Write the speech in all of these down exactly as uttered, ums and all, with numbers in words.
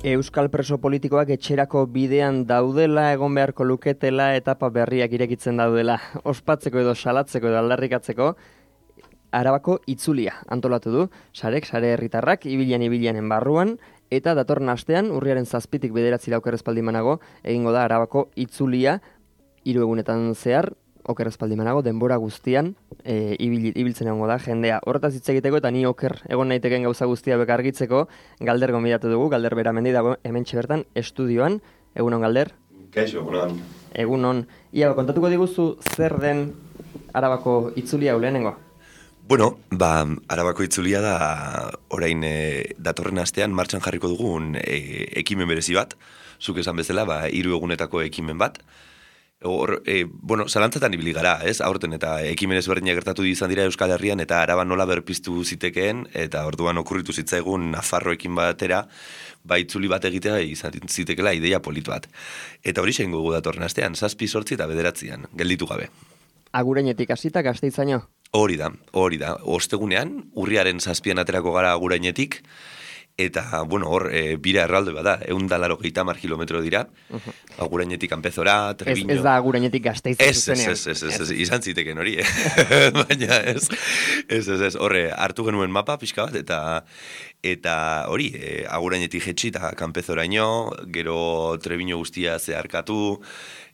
Euskal preso politikoak etxerako bidean daudela, egon beharko luketela, etapa berriak irekitzen daudela. Ospatzeko edo salatzeko edo aldarrikatzeko, Arabako itzulia antolatu du, sarek, sare herritarrak, ibilian ibilianen barruan, eta datorren astean, urriaren zazpitik bederatzira okerrezpaldimanago, egingo da Arabako itzulia, hiru egunetan zehar, okerrezpaldimanago, denbora guztian, e, ibil, ibiltzen egongo da, jendea. Horretaz hitz egiteko eta ni oker egon naiteken gauza guztia bekargitzeko, Galder gonbidatu dugu, Galder Beramendi dago hementxe bertan estudioan. Egunon, Galder? Kaixo, egunon. Egunon. Ia, kontatuko diguzu zer den Arabako itzulia lehenengo? Bueno, ba, Arabako itzulia da orain e, datorren astean martxan jarriko dugun e, ekimen berezi bat, zuk esan bezala, ba, hiru egunetako ekimen bat. Hor, e, bueno, zalantzatan ibili gara, ez? Aurten eta ekimen ezberdinak gertatu izan dira Euskal Herrian eta Araba nola berpiztu zitekeen, eta orduan okurritu zitzaigun Nafarroekin batera, ba itzuli bat egitea izan zitekela ideia politu bat. Eta hori zein gugu datorren astean, zazpi, sortzi eta bederatzian, gelditu gabe. Agurenetik hasita Gasteizaino? Hori da, hori da. Ostegunean, urriaren zazpian aterako gara Agurainetik, eta, bueno, hor, e, bira erralde bada, egun da laro gehieta mar kilometro dira, uh-huh. Agurainetik Anpezora, Treviño... Ez, ez da Agurainetik Gasteiz zuzenean. Ez, ez, ez, ez, ez, izan ziteken hori, eh? Baina ez, ez, ez, ez, horre, hartu genuen mapa pixka bat, eta eta hori, e, Agurainetik jetxi eta Kanpezoraino, gero Treviño guztia zeharkatu,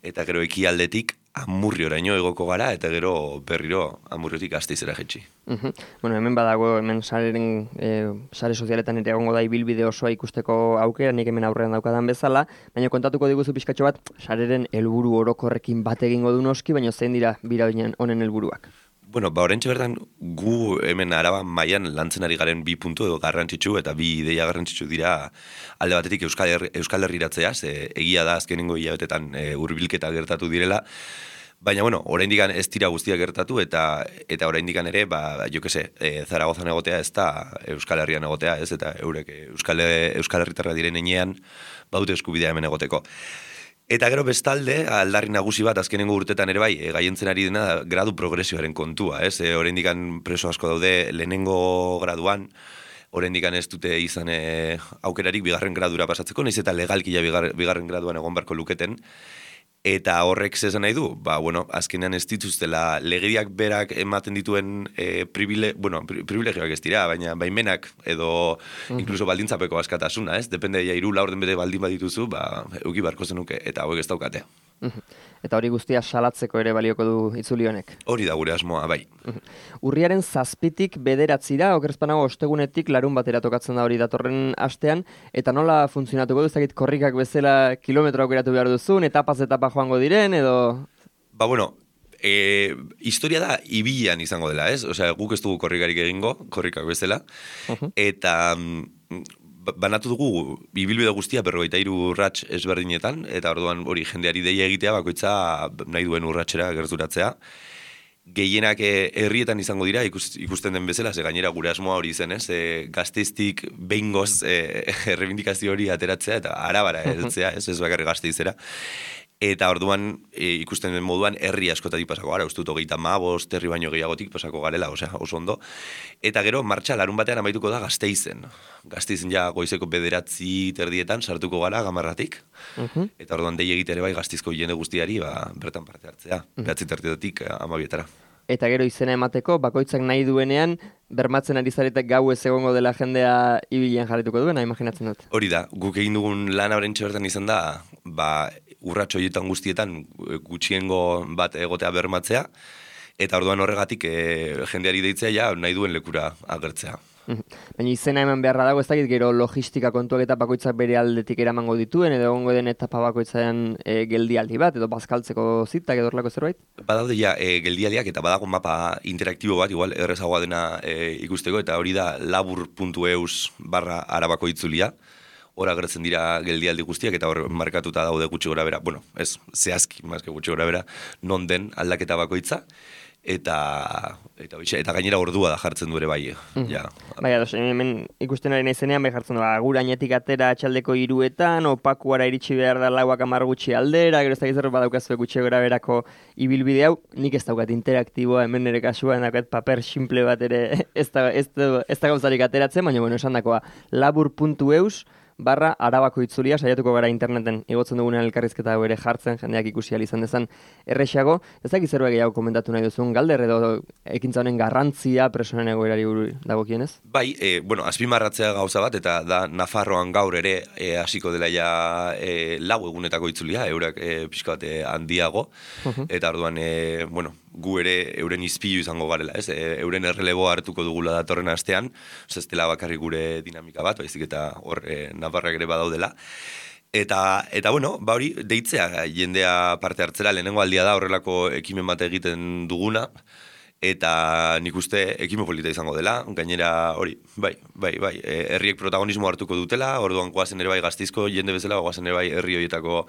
eta gero ekialdetik Amurrioraino egoko gara, eta gero berriro Amurriotik Gasteizera jetxi. Uh-huh. Bueno, hemen badago, hemen sareren, e, sare sozialetan ere egongo da ibilbide osoa ikusteko aukera, nik hemen aurrean daukadan bezala, baina kontatuko diguzu pixkatxo bat, sareren helburu orokorrekin bat egingo du noski, baina zein dira bira honen helburuak? Bueno, ba, orentxe bertan, gu hemen Araba mailan lantzen ari garen bi puntu edo garrantzitsu eta bi ideia garrantzitsu dira alde batetik Euskal, Herri, Euskal Herriratzea, ze egia da azkenengo hilabetetan e, hurbilketa gertatu direla, baina, bueno, oraindik ez dira guztiak gertatu eta eta oraindik ere, ba, jo que se, e, Zaragozan egotea ez da Euskal Herrian egotea, ez, eta eurek Euskal, Euskal Herritarra diren enean baute eskubidea hemen egoteko. Eta gero bestalde, aldarri nagusi bat azkenengo urtetan ere bai, e, gaientzen ari dena gradu progresioaren kontua, ez? E, oraindikan preso asko daude lehenengo graduan, oraindikan ez dute izan e, aukerarik bigarren gradura pasatzeko, nahiz eta legalkia bigar, bigarren graduan egon barko luketen. Eta horrek zesan nahi du, ba, bueno, azkenean ez dituztela legediak berak ematen dituen e, pribile, bueno, privilegioak ez dira, baina baimenak edo uh-huh. inkluso baldintzapeko askatasuna, ez? Depende, ja, hiru laurden bete baldin badituzu, ba, euki barko zenuke, eta hauek ez daukate. Uh-huh. Eta hori guztia salatzeko ere balioko du itzuli honek? Hori da gure asmoa, bai. Uh-huh. Urriaren zazpitik bederatzira, okerrezpanago ostegunetik larun batera tokatzen da hori datorren astean, eta nola funtzionatuko du, ezagit korrikak bezala kilometro aukeratu behar duzun, etapaz etapa joango diren, edo... Ba, bueno, e, historia da ibilan izango dela, ez? Osea, guk ez dugu korrikarik egingo, korrikak bezala, uh-huh. eta banatu dugu ibilbide guztia berrogeita hiru urrats ezberdinetan, eta orduan hori jendeari deia egitea bakoitza nahi duen urratsera gerturatzea. Gehienak herrietan izango dira, ikusten den bezala, ze gainera gure asmoa hori zen, ez? E, Gasteiztik behingoz e, errebindikazio hori ateratzea, eta Arabara heltzea, ez ez bakarrik Gasteizera. Eta orduan e, ikusten den moduan herri askotatik pasako gara, uste dut hogeita hamabost herri baino gehiagotik pasako garela, osea, oso ondo. Eta gero martxa larun batean amaituko da Gasteizen. Gasteizen ja goizeko bederatzi terdietan sartuko gara gamarratik. Uh-huh. Eta orduan dei egitere bai Gasteizko jende guztiari ba, bertan parte hartzea, uh-huh. behatzi terdietatik amabietara. Eta gero izena emateko, bakoitzak nahi duenean, bermatzen ari zaretek gau ez egongo dela jendea ibilen jarrituko duena, imaginatzen dut. Hori da, guk egin dugun lan horrentxe bertan izan da, ba, urratxo horietan guztietan gutxiengo bat egotea bermatzea, eta orduan horregatik e, jendeari deitzea ja nahi duen lekura agertzea. Baina izena eman beharra dago, ez dakit gero logistika kontuak eta bakoitzak bere aldetik eramango dituen, edo egongo den etapa bakoitzaren e, geldialdi bat, edo bazkaltzeko zitak edo horrelako zerbait? Badaude ja e, geldialdiak eta badago mapa interaktibo bat, igual errezagoa dena e, ikusteko, eta hori da labur puntu eus barra Arabako itzulia. Hor agertzen dira geldialdi guztiak eta hor markatuta daude gutxi gora bera, bueno, ez zehazki, mazke gutxi gora bera, non den aldaketa bakoitza, eta eta, eta gainera ordua da jartzen du ere bai. Mm. Ja. Bai, ados, hemen ikusten ari naizenean bai jartzen du, Agurainetik atera atxaldeko hiruetan, Opakuara iritsi behar da lauak hamar gutxi aldera, gero ez da gizarro badaukazue gutxi gora berako ibilbide hau, nik ez daukat interaktiboa, hemen nire kasuan daukat paper simple bat ere ez da, ez da, ez da gauzarik ateratzen, baina bueno, esan dakoa, labur puntu eus, barra Arabako itzulia, saiatuko gara interneten igotzen dugunean elkarrizketa hau ere jartzen, jendeak ikusi ahal izan dezan erresago. Ez dakit zerbait gehiago komentatu nahi duzun, Galder, edo ekintza honen garrantzia presonen egoerari buruz dagokienez? Bai, e, bueno, azpimarratzea gauza bat, eta da Nafarroan gaur ere e, hasiko dela ja e, lau egunetako itzulia, eurak e, pixka bat e, handiago, uh-huh. Eta orduan, e, bueno, gu ere euren izpilu izango garela, ez? E, euren errelebo hartuko dugula datorren astean, ez dela bakarrik gure dinamika bat, baizik eta hor e, Nafarrak ere badaudela. Eta, eta bueno, ba hori, deitzea jendea parte hartzera, lehenengo aldia da horrelako ekimen bat egiten duguna, eta nik uste ekimen polita izango dela, gainera hori, bai, bai, bai, e, herriek protagonismo hartuko dutela, orduan goazen ere bai Gasteizko jende bezala, goazen ere bai herri horietako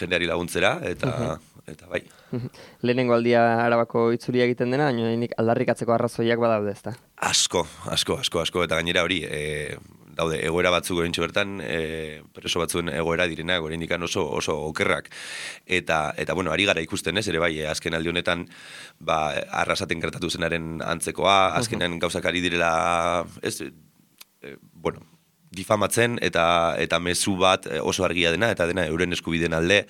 jendeari laguntzera, eta, uh-huh. eta bai. Uh-huh. Lehenengo aldia Arabako itzulia egiten dena, baina nik aldarrikatzeko arrazoiak badaude, ezta? Asko, asko, asko, asko, eta gainera hori, e, daude, egoera batzuk gorintxo bertan, e, preso batzuen egoera direnak, oraindikan oso oso okerrak. Eta, eta bueno, ari gara ikusten ez, ere bai, azken aldi honetan, ba, arrasaten gertatu zenaren antzekoa, azkenean uh-huh. gauzak ari direla, ez, e, bueno, difamatzen eta eta mezu bat oso argia dena, eta dena euren eskubideen alde,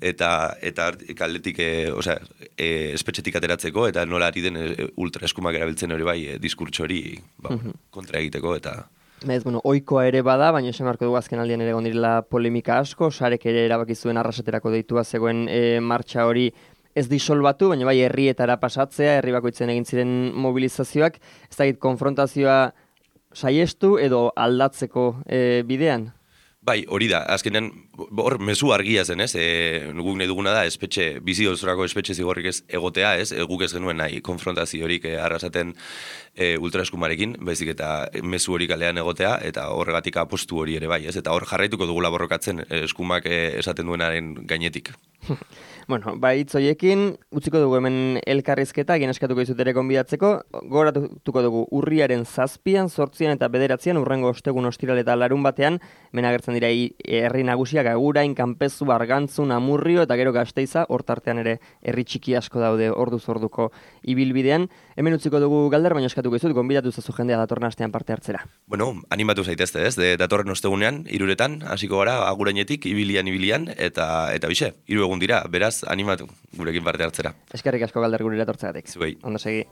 eta eta kaldetik, e, osea, e, espetxetik ateratzeko, eta nola ari den e, ultraeskumak erabiltzen hori bai, e, diskurtso hori ba, uh-huh. kontra egiteko, eta... Ez, bueno, oikoa ere bada, baina esan marko dugu azken aldian ere gondirela polemika asko, sarek ere erabaki zuen arrasaterako deitua zegoen e, martxa hori ez disolbatu, baina bai herrietara pasatzea, herri bakoitzen egin ziren mobilizazioak, ez dakit konfrontazioa saiestu edo aldatzeko e, bidean? Bai, hori da, azkenean, hor mezu argia zen, ez, e, guk nahi duguna da, espetxe, bizi osorako espetxe zigorrik ez egotea, ez, e, guk ez genuen nahi konfrontaziorik e, arrasaten e, ultraeskumarekin, baizik eta mezu hori kalean egotea, eta horregatik apostu hori ere bai, ez, eta hor jarraituko dugula borrokatzen e, eskumak e, esaten duenaren gainetik. Bueno, ba, hitz horiekin utziko dugu hemen elkarrizketa, egin eskatuko izut ere gonbidatzeko, goratuko dugu urriaren zazpian, zortzian eta bederatzean, urrengo ostegun ostiral eta larun batean, hemen agertzen dira herri nagusiak Agurain, Kanpezu, Argantzun, Amurrio eta gero Gasteiza, hortartean ere herri txiki asko daude orduz orduko ibilbidean. Hemen utziko dugu Galder, baina eskatuko izut, gonbidatu zazu jendea datorren astean parte hartzera. Bueno, animatu zaitezte, ez, de, datorren ostegunean, hiruretan, hasiko gara Agurainetik, ibilian, ibilian, eta eta bixe, hiru egun dira, beraz, animatu gurekin parte hartzera. Eskerrik asko Galder gure etortzeagatik. Zuei. Ondo segi.